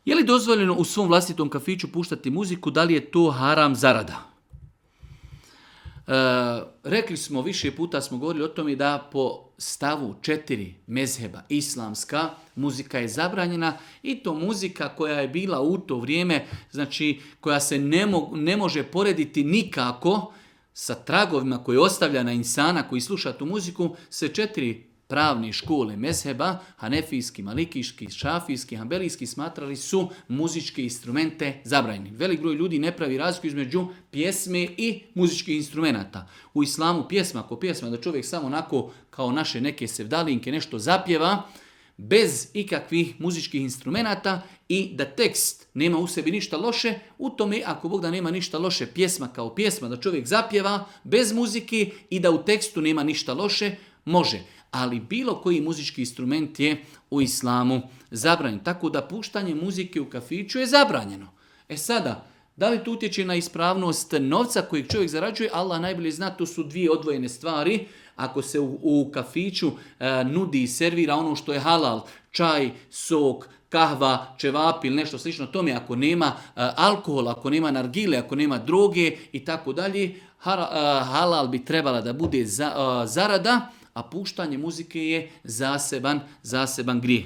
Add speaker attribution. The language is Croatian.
Speaker 1: Je li dozvoljeno u svom vlastitom kafiću puštati muziku, da li je to haram zarada? Rekli smo, više puta smo govorili o tome da po stavu 4 mezheba islamska muzika je zabranjena i to muzika koja je bila u to vrijeme, znači koja se ne može porediti nikako sa tragovima koje ostavlja na insana koji sluša tu muziku, se 4 pravne škole mezheba, hanefijski, malikijski, šafijski, hambelijski, smatrali su muzičke instrumente zabranjeni. Velik broj ljudi ne pravi razliku između pjesme i muzičkih instrumenata. U islamu ako pjesma da čovjek samo onako kao naše neke sevdalinke nešto zapjeva, bez ikakvih muzičkih instrumenata i da tekst nema u sebi ništa loše, u tome ako Bog da nema ništa loše pjesma kao pjesma, da čovjek zapjeva bez muzike i da u tekstu nema ništa loše, može. Ali bilo koji muzički instrument je u islamu zabranjen. Tako da puštanje muzike u kafiću je zabranjeno. E sada, da li to utječe na ispravnost novca kojeg čovjek zarađuje? Allah najbolje zna, to su dvije odvojene stvari. Ako se u kafiću nudi i servira ono što je halal, čaj, sok, kahva, čevapi ili nešto slično tome, ako nema alkohola, ako nema nargile, ako nema droge i tako dalje, halal bi trebala da bude zarada, a puštanje muzike je zaseban grijeh.